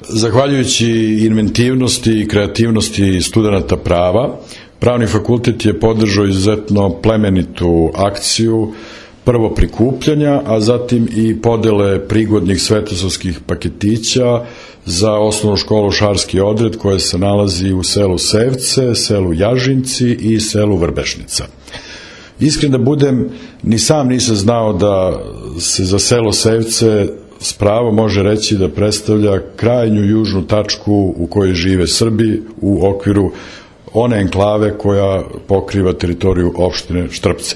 Zahvaljujući inventivnosti i kreativnosti studenata prava, Pravni fakultet je podržao izuzetno plemenitu akciju, prvo prikupljanja, a zatim i podele prigodnih svetosavskih paketića za osnovnu školu Šarski odred koja se nalazi u selu Sevce, selu Jažinci i selu Vrbešnica. Iskren da budem, ni sam nisam znao da se za selo Sevce s pravom može reći da predstavlja krajnju južnu tačku u kojoj žive Srbi u okviru one enklave koja pokriva teritoriju opštine Štrpce.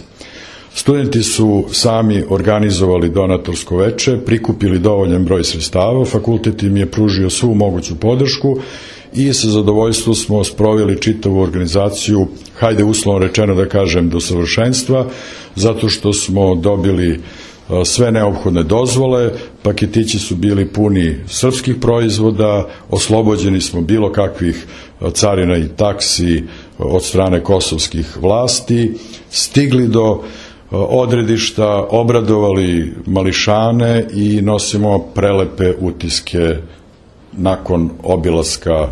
Studenti su sami organizovali donatorsko veče, prikupili dovoljan broj sredstava, fakultet im je pružio svu moguću podršku i sa zadovoljstvom smo sproveli čitavu organizaciju, hajde uslovno rečeno da kažem, do savršenstva, zato što smo dobili sve neophodne dozvole, paketići su bili puni srpskih proizvoda, oslobođeni smo bilo kakvih carina i taksi od strane kosovskih vlasti, stigli do odredišta, obradovali mališane i nosimo prelepe utiske nakon obilaska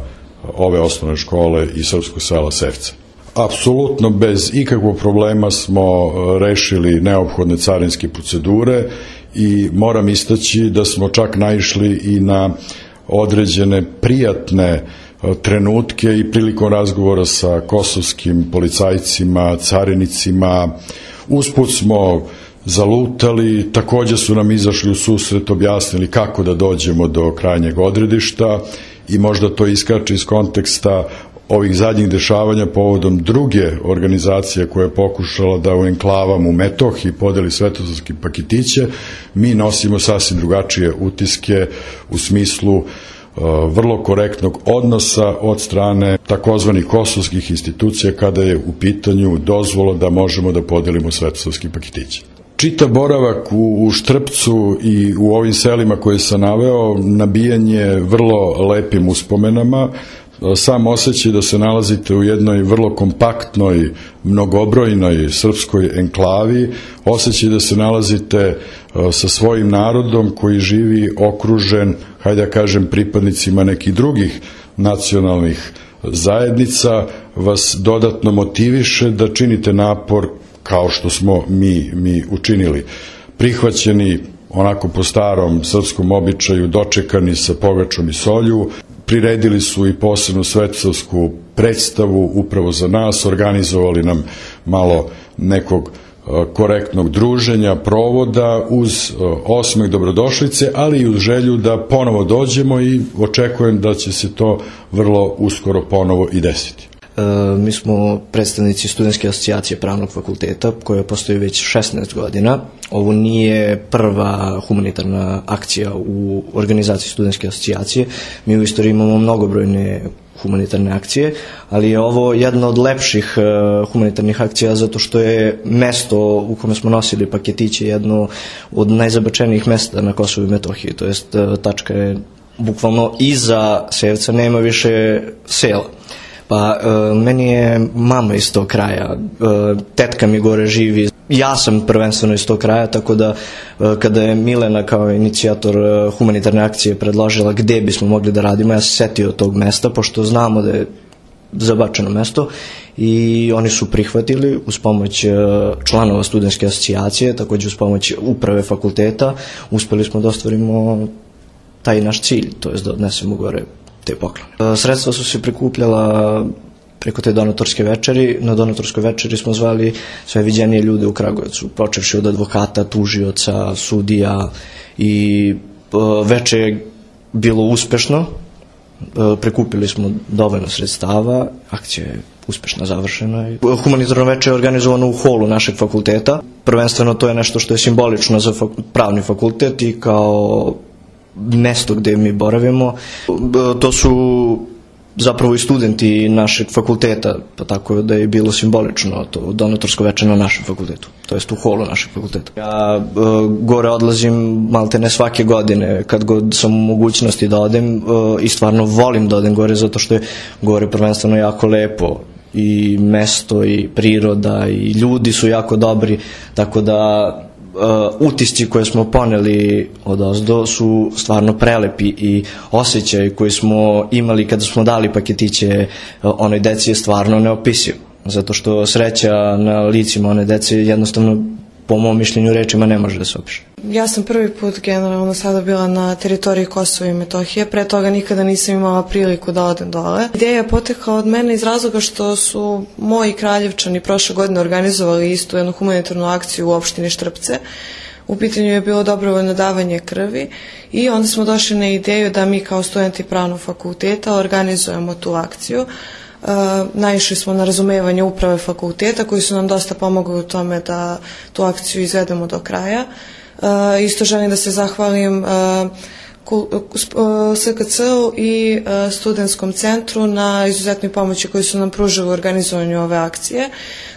ove osnovne škole i srpskog sela Sevce. Apsolutno bez ikakvog problema smo rešili neophodne carinske procedure i moram istaći da smo čak naišli i na određene prijatne trenutke i prilikom razgovora sa kosovskim policajcima, carinicima. Usput smo zalutali, takođe su nam izašli u susret, objasnili kako da dođemo do krajnjeg odredišta i možda to iskače iz konteksta ovih zadnjih dešavanja povodom druge organizacije koja je pokušala da u enklavama u Metohiji podeli svetosavske paketiće. Mi nosimo sasvim drugačije utiske u smislu vrlo korektnog odnosa od strane takozvanih kosovskih institucija kada je u pitanju dozvola da možemo da podelimo svetosavske paketiće. Čitav boravak u Štrpcu i u ovim selima koje sam naveo nabijan je vrlo lepim uspomenama. Sam osjećaj da se nalazite u jednoj vrlo kompaktnoj, mnogobrojnoj srpskoj enklavi, osjećaj da se nalazite sa svojim narodom koji živi okružen, hajde da kažem, pripadnicima nekih drugih nacionalnih zajednica, vas dodatno motiviše da činite napor kao što smo mi učinili. Prihvaćeni onako po starom srpskom običaju, dočekani sa pogačom i solju, priredili su i posebnu svetosavsku predstavu upravo za nas, organizovali nam malo nekog korektnog druženja, provoda uz osmeh dobrodošlice, ali i uz želju da ponovo dođemo i očekujem da će se to vrlo uskoro ponovo i desiti. Mi smo predstavnici Studentske asocijacije Pravnog fakulteta koja postoji već 16 godina. Ovo nije prva humanitarna akcija u organizaciji Studentske asocijacije. Mi u istoriji imamo mnogobrojne humanitarne akcije, ali je ovo jedna od lepših humanitarnih akcija zato što je mesto u kome smo nosili paketiće jedno od najzabačenijih mesta na Kosovu i Metohiji, to jest tačka je bukvalno iza Sevca, nema više sela. Pa meni je mama iz tog kraja, tetka mi gore živi, ja sam prvenstveno iz tog kraja, tako da kada je Milena kao inicijator humanitarne akcije predložila gde bismo mogli da radimo, ja se setio tog mesta, pošto znamo da je zabačeno mesto i oni su prihvatili uz pomoć članova Studentske asocijacije, takođe uz pomoć uprave fakulteta, uspeli smo da ostvarimo taj naš cilj, to je da odnesemo gore te poklone. Sredstva su se prikupljala preko te donatorske večeri. Na donatorskoj večeri smo zvali sve viđenije ljude u Kragujevcu, počevši od advokata, tužioca, sudija i veče je bilo uspešno. Prikupili smo dovoljno sredstava, akcija je uspešno završena. Humanitarno veče je organizovano u holu našeg fakulteta. Prvenstveno to je nešto što je simbolično za pravni fakultet i kao mesto gde mi boravimo. To su zapravo i studenti našeg fakulteta, pa tako da je bilo simbolično to donatorsko veče na našem fakultetu, to jest u holu našeg fakulteta. Ja gore odlazim malte ne svake godine, kad god sam u mogućnosti da odem i stvarno volim da odem gore, zato što je gore prvenstveno jako lepo i mesto i priroda i ljudi su jako dobri, tako da utisci koje smo poneli odozdo su stvarno prelepi i osjećaj koji smo imali kada smo dali paketiće onoj deci je stvarno neopisiv. Zato što sreća na licima one dece jednostavno, po mom mišljenju, rečima ne može da se opiše. Ja sam prvi put generalno sada bila na teritoriji Kosova i Metohije, pre toga nikada nisam imala priliku da odem dole. Ideja je potekla od mene iz razloga što su moji Kraljevčani prošle godine organizovali istu jednu humanitarnu akciju u opštini Štrpce. U pitanju je bilo dobrovoljno davanje krvi i onda smo došli na ideju da mi kao studenti Pravnog fakulteta organizujemo tu akciju. Naišli smo na razumevanje uprave fakulteta koji su nam dosta pomogli u tome da tu akciju izvedemo do kraja. Isto želim da se zahvalim SKC-u i studentskom centru na izuzetnoj pomoći koju su nam pružili u organizovanju ove akcije,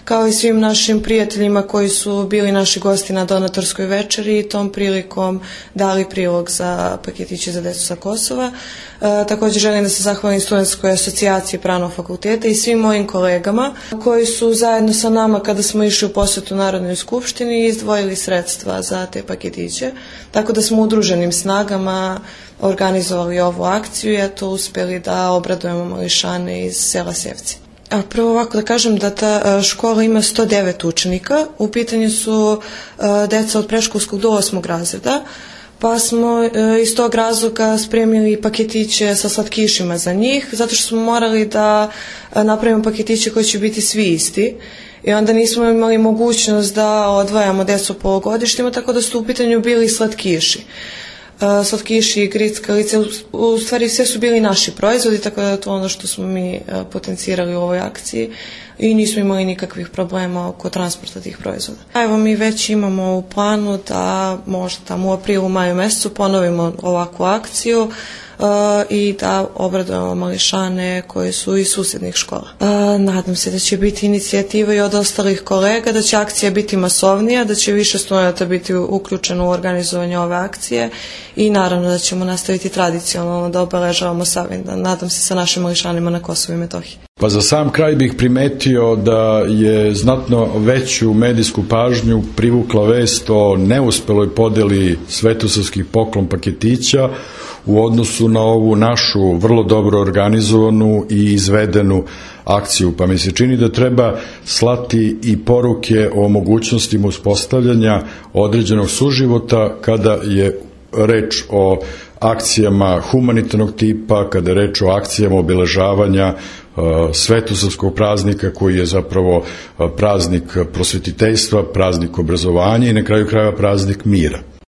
kao i svim našim prijateljima koji su bili naši gosti na donatorskoj večeri i tom prilikom dali prilog za paketiće za decu sa Kosova. Također želim da se zahvalim Studentskoj asocijaciji Pravnog fakulteta i svim mojim kolegama koji su zajedno sa nama kada smo išli u posetu Narodnoj skupštini izdvojili sredstva za te paketiće, tako da smo udruženim snagama organizovali ovu akciju i eto uspjeli da obradujemo mališane iz sela Sevci. Prvo ovako da kažem da ta škola ima 109 učenika, u pitanju su deca od predškolskog do 8. razreda, pa smo iz tog razloga spremili paketiće sa slatkišima za njih, zato što smo morali da napravimo paketiće koji će biti svi isti i onda nismo imali mogućnost da odvajamo decu po godištima, tako da su u pitanju bili slatkiši. Slatkiši, grickalice, u stvari sve su bili naši proizvodi, tako da je to ono što smo mi potencirali u ovoj akciji i nismo imali nikakvih problema oko transporta tih proizvoda. Evo mi već imamo u planu da možda tamo u aprilu, maju mesecu ponovimo ovakvu akciju i da obradujemo mališane koji su iz susjednih škola. Nadam se da će biti inicijativa i od ostalih kolega, da će akcija biti masovnija, da će više studenata biti uključeno u organizovanje ove akcije i naravno da ćemo nastaviti tradicionalno da obeležavamo Savindan. Nadam se sa našim mališanima na Kosovu i Metohiji. Pa za sam kraj bih primetio da je znatno veću medijsku pažnju privukla vest o neuspeloj podeli svetosavskih poklon paketića u odnosu na ovu našu vrlo dobro organizovanu i izvedenu akciju. Pa mi se čini da treba slati i poruke o mogućnostima uspostavljanja određenog suživota kada je reč o akcijama humanitarnog tipa, kada je reč o akcijama obeležavanja svetosavskog praznika koji je zapravo praznik prosvetiteljstva, praznik obrazovanja i na kraju krajeva praznik mira.